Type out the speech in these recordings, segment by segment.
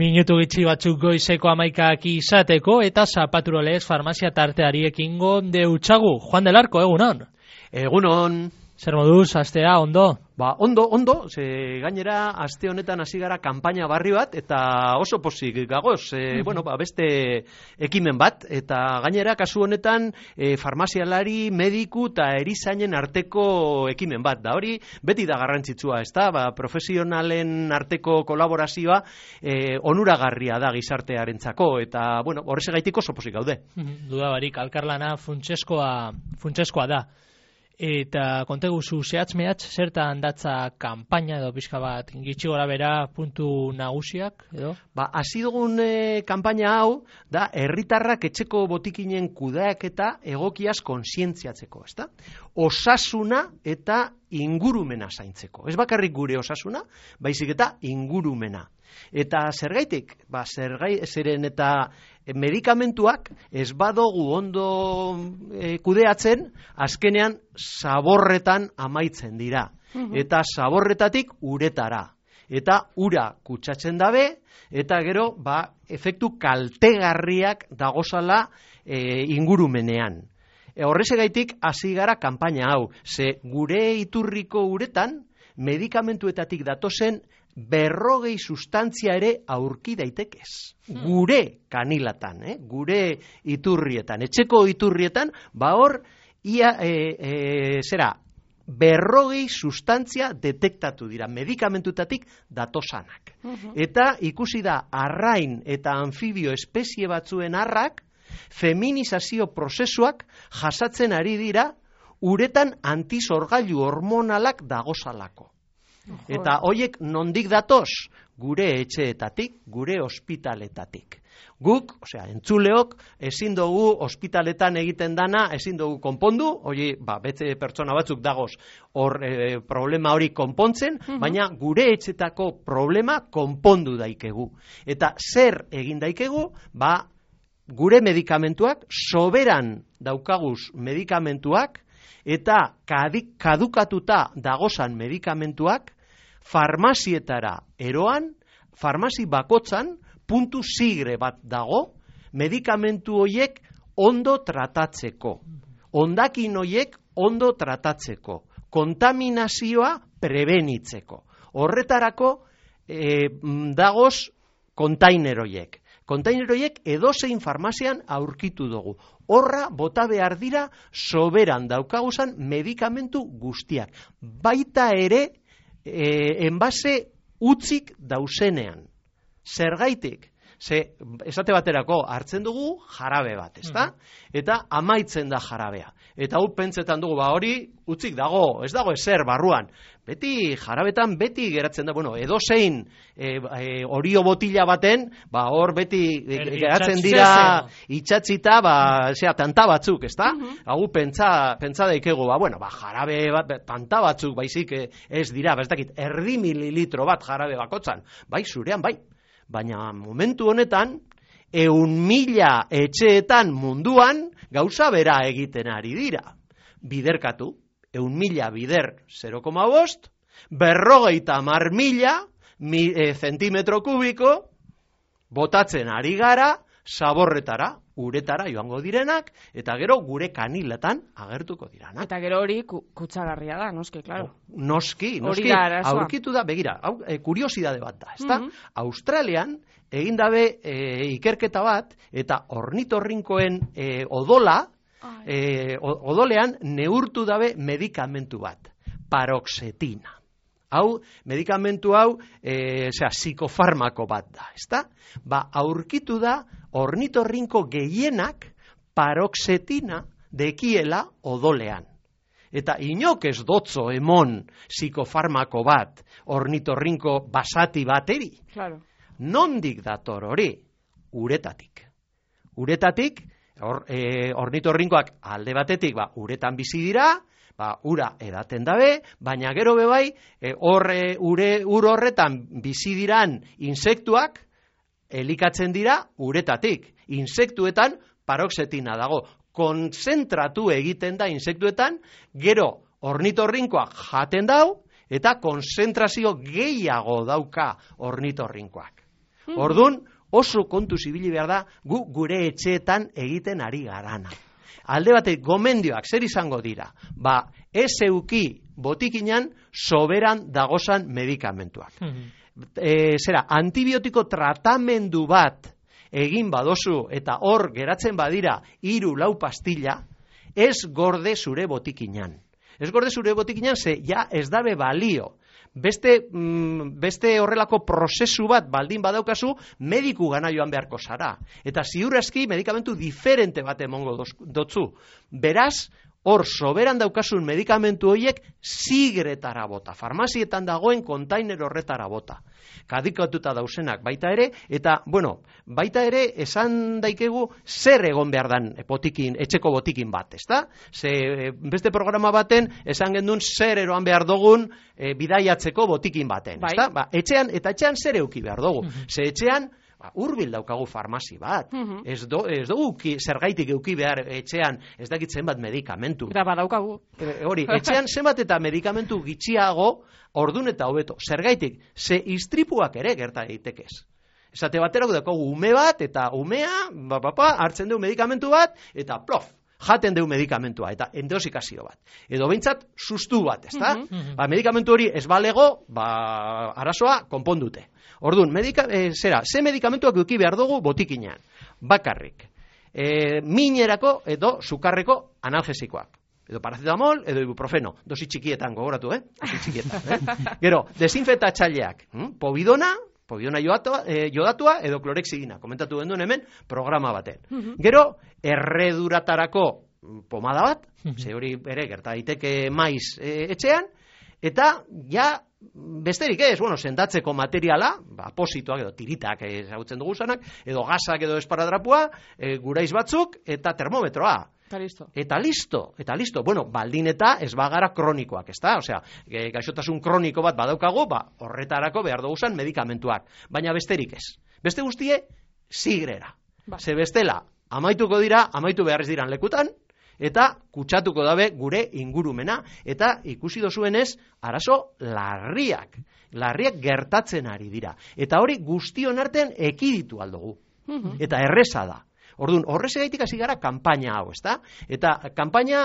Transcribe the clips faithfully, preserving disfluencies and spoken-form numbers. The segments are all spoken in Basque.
Minutu gitxi batzuk goizeko amaikak izateko eta zapaturolez farmazia tarteari ekingo deutxagu. Juan del Arco, egunon? Egunon. Zer moduz, astea, ondo? Ba, ondo, ondo, ze gainera aste honetan hasi gara kanpaina barri bat, eta oso pozik gagoz, e, mm-hmm. bueno, ba, beste ekimen bat, eta gainera kasu honetan e, farmazialari, mediku eta erizainen arteko ekimen bat, da hori beti da garrantzitsua, ezta? Ba, profesionalen arteko kolaborazioa e, onuragarria da gizartearentzako, eta, bueno, horrezegaitik oso pozik gaude. Mm-hmm. Duda barik, alkarlana funtseskoa, funtseskoa da. Eta konteguzu zehatz mehatz zertan datza kanpaina edo pixka bat gitxi gora bera puntu nagusiak edo? Ba, hasi dugun e, kanpaina hau da herritarrak etxeko botikinen kudeaketa egokiaz kontzientziatzeko, ezta? Osasuna eta ingurumena zaintzeko. Ez bakarrik gure osasuna, baizik eta ingurumena. Eta zergaitik, ba, zergai, zeren eta medikamentuak ez badogu ondo e, kudeatzen, azkenean zaborretan amaitzen dira. Uh-huh. Eta zaborretatik uretara. Eta ura kutsatzen dabe, eta gero, ba, efektu kaltegarriak dagozala e, ingurumenean. E, horrezegaitik hasi gara kanpaina hau, ze gure iturriko uretan medikamentuetatik datozen berrogei sustantzia ere aurki daitekez. Hmm. Gure kanilatan, eh? Gure iturrietan, etxeko iturrietan, ba hor, ia, e, e, zera, berrogei sustantzia detektatu dira, medikamentutatik datosanak. Uh-huh. Eta ikusi da arrain eta anfibio espezie batzuen arrak, feminizazio prozesuak jasatzen ari dira, uretan antisorgailu hormonalak dagozalako. Eta hoiek nondik datoz? Gure etxeetatik, gure ospitaletatik. Guk, osea, entzuleok, ezin dugu ospitaletan egiten dana, ezin dugu konpondu, hori, ba, bete pertsona batzuk dagoz hor e, problema hori konpontzen, uh-huh. baina gure etxetako problema konpondu daikegu. Eta zer egin daikegu, ba, gure medikamentuak, soberan daukaguz medikamentuak, eta kadukatuta dagozan medikamentuak, farmazietara eroan, farmazi bakotzan, puntu sigre bat dago, medikamentu horiek ondo tratatzeko. Hondakin horiek ondo tratatzeko. Kontaminazioa prebenitzeko. Horretarako e, dagoz kontainer horiek. Kontainer horiek edozein farmazian aurkitu dugu. Horra bota behar dira soberan daukaguzan medikamentu guztiak. Baita ere e, enbase utzik dauzenean. Zergaitik? Ze, esate baterako hartzen dugu jarabe bat, ezta? Mm-hmm. Eta amaitzen da jarabea. Eta hau pentsetan dugu, ba hori utzik dago, ez dago ezer barruan. Beti jarabetan beti geratzen da, bueno, edozein e, e, orio botila baten, ba hor beti e, geratzen dira itxatzita, ba, zera, tanta batzuk, ezta? Mm-hmm. Hau pentsa, pentsa daikegu, ba, bueno, ba, jarabe bat, tanta batzuk, baizik ez dira, ba, ez dakit, erdi mililitro bat jarabe bakotzan, bai, zurean, bai. Baina momentu honetan, eun mila etxeetan munduan gauza bera egiten ari dira. Biderkatu, eun mila bider zero koma bost, berrogeita mar mila mi, e, zentimetro kubiko, botatzen ari gara, zaborretara, uretara joango direnak, eta gero gure kaniletan agertuko diranak. Eta gero hori kutsagarria da, noski, klaro. Noski, noski, aurkitu da, begira, hau, e, kuriosidade bat da, ezta? Mm-hmm. Australian, egin dabe e, ikerketa bat, eta ornitorrinkoen e, odola, e, odolean neurtu dabe medikamentu bat, paroxetina. Hau, medikamentu hau, e, zera, psikofarmako bat da, ezta? Ba, aurkitu da, ornitorrinko gehienak paroxetina dekiela odolean. Eta inok ez dotzo emon psikofarmako bat ornitorrinko basati bateri. Claro. Nondik dator hori? Uretatik. Uretatik, or, e, ornitorrinkoak alde batetik, ba, uretan bizi dira, ba, ura edaten dabe, baina gero bebai, e, horre, ure, ur horretan bizi diran insektuak, elikatzen dira uretatik. Insektuetan paroxetina dago. Konzentratu egiten da insektuetan, gero ornitorrinkoak jaten dau, eta konzentrazio gehiago dauka ornitorrinkoak. Ordun oso kontu zibili behar da gu gure etxeetan egiten ari garana. Alde batek gomendioak zer izango dira? Ba, ez euki botikinan soberan dagozan medikamentuak. E, zera, antibiotiko tratamendu bat egin badozu eta hor geratzen badira hiru lau pastilla, ez gorde zure botikinan. Ez gorde zure botikinan ze ja ez dabe balio. Beste, mm, beste horrelako prozesu bat baldin badaukazu, mediku gana joan beharko zara. Eta ziurrezki medikamentu diferente bat emongo dotzu. Beraz, hor soberan daukasun medikamentu horiek zigretara bota. Farmazietan dagoen kontainer horretara bota. Kadikatuta dausenak baita ere, eta, bueno, baita ere esan daikegu zer egon behar dan botikin, etxeko botikin bat, ezta? Ze beste programa baten esan gendun zer eroan behar dugun e, bidaiatzeko botikin baten, ezta? Ba, etxean, eta etxean zer euki behar dugu. Ze etxean, ba, hurbil daukagu farmazi bat. Uh-huh. Ez, do, ez dugu zergaitik euki behar etxean ez dakit zenbat medikamentu. Eta badaukagu. E, hori, etxean zenbat eta medikamentu gitxiago ordun eta hobeto. Zergaitik, ze istripuak ere gerta eitekez. Esate baterako daukagu ume bat eta umea, ba, ba, ba, hartzen du medikamentu bat eta plof, jaten deu medikamentua eta endosikazio bat. Edo behintzat sustu bat, ezta? Uh-huh. Ba, medikamentu hori ez balego, ba, arazoa konpondute. Orduan, medika, e, zera, ze medikamentuak euki behar dugu botikinean? Bakarrik. E, minerako edo sukarreko analgesikoak. Edo paracetamol, edo ibuprofeno. Dosi txikietan gogoratu, eh? Dosi txikietan, eh? Gero, desinfektatzaileak. Hm? Povidona, povidona jodatua, eh, jodatua edo klorexidina. Komentatu genduen hemen programa baten. Uh-huh. Gero, erreduratarako pomada bat, uh-huh. ze hori ere gerta daiteke maiz e, etxean, eta ja besterik ez, bueno, sendatzeko materiala, ba, positoak edo tiritak ezagutzen dugu zanak, edo gasak edo esparadrapua, e, guraiz batzuk, eta termometroa. Eta listo. Eta listo, eta listo. Bueno, baldin eta ez bagara kronikoak, ezta? Osea, gaixotasun kroniko bat badaukago, ba, horretarako behar dugu zan medikamentuak. Baina besterik ez. Beste guztie, zigrera. Ba. Ze bestela, amaituko dira, amaitu beharrez diran lekutan, eta kutsatuko dabe gure ingurumena, eta ikusi dozuenez, arazo larriak. Larriak gertatzen ari dira. Eta hori guztion artean ekiditu aldugu. Uh-huh. Eta erreza da. Orduan, horrezegaitik hasi gara kanpaina hau, ezta? Eta kanpaina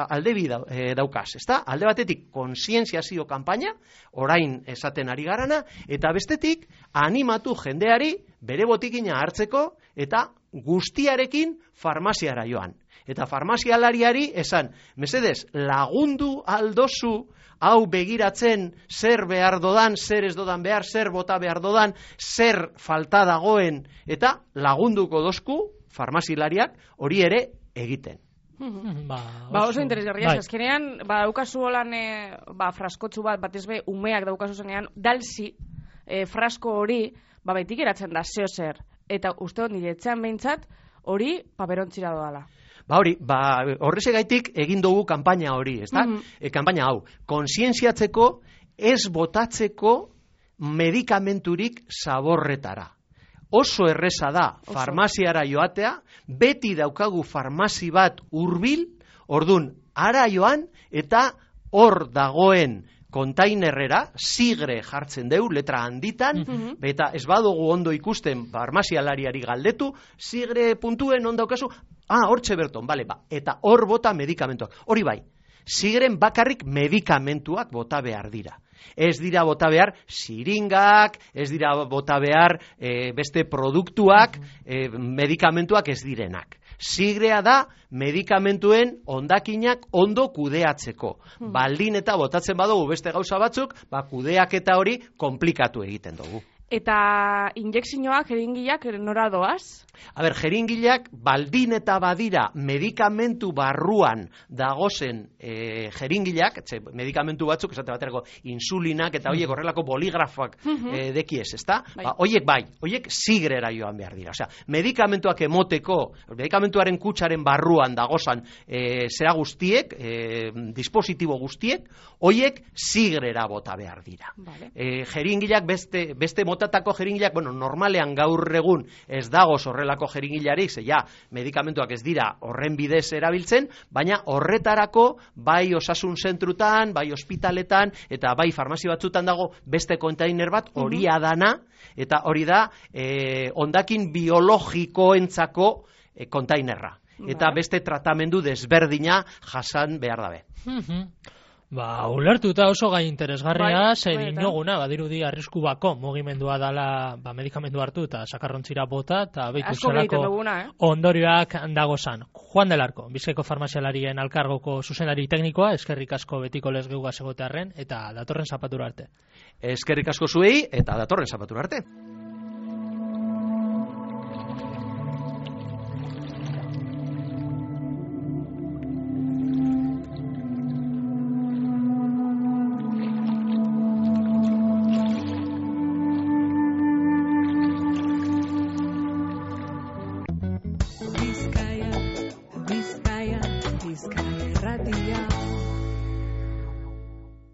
alde bi daukaz, ezta? Alde batetik kontzientziazio kanpaina, orain esaten ari garana, eta bestetik animatu jendeari bere botikina hartzeko eta guztiarekin farmaziara joan. Eta farmazialariari esan, mesedez, lagundu aldozu hau begiratzen zer behar dodan, zer ez dodan behar, zer bota behar dodan, zer falta dagoen, eta lagunduko dozku farmazilariak hori ere egiten. Ba, ba oso interesgarria, bai. Azkenean, ba, daukazu holan, e, ba, fraskotzu bat, batez be, umeak daukazu zenean, dalzi, e, frasko hori, ba, baitik eratzen da, zeo zer, eta uste hon nire etxean behintzat, hori paperontzira doala. Ba hori, ba, horrezegaitik egin dugu kanpaina hori, ezta? Mm-hmm. E, kanpaina hau, kontzientziatzeko, ez botatzeko medikamenturik zaborretara. Oso erreza da farmaziara joatea, beti daukagu farmazi bat hurbil, ordun ara joan eta hor dagoen kontainerrera zigre jartzen deu, letra handitan, mm-hmm. eta ez badugu ondo ikusten farmazialariari galdetu, zigre puntuen ondo daukazu, ah, hortxe berton, bale, ba, eta hor bota medikamentuak. Hori bai, zigren bakarrik medikamentuak bota behar dira. Ez dira bota behar siringak, ez dira bota behar e, beste produktuak, e, medikamentuak ez direnak. Zigrea da medikamentuen hondakinak ondo kudeatzeko. Baldin eta botatzen badugu beste gauza batzuk, ba kudeak eta hori komplikatu egiten dugu. Eta injekzioak, jeringiak, nora doaz? A ber, jeringileak baldin eta badira medikamentu barruan dagozen e, jeringileak, etxe, medikamentu batzuk, esate baterako insulinak eta hoiek horrelako boligrafoak e, dekiez, ezta? Bai. Ba, hoiek bai, hoiek zigrera joan behar dira. Osea, medikamentuak emoteko, medikamentuaren kutsaren barruan dagozan e, zera guztiek, e, dispositibo guztiek, hoiek zigrera bota behar dira. Vale. E, jeringileak beste, beste mota motatako jeringilak, bueno, normalean gaur egun ez dago horrelako jeringilarik, ze ja, medikamentuak ez dira horren bidez erabiltzen, baina horretarako bai osasun zentrutan, bai ospitaletan, eta bai farmazio batzutan dago beste kontainer bat, hori adana, eta hori da eh, ondakin biologikoentzako eh, kontainerra. Eta beste tratamendu desberdina jasan behar dabe. Ba, ulertuta oso gai interesgarria, zer inoguna, badirudi arrisku bako mugimendua dala, ba, medikamendu hartu eta sakarrontzira bota, eta behitu zelako ondorioak dagozan. Juan del Arco, Bizkaiko farmazialarien alkargoko zuzenari teknikoa, eskerrik asko betiko lezgeuga segotearren, eta datorren zapatura arte. Eskerrik asko zuei, eta datorren zapatura arte.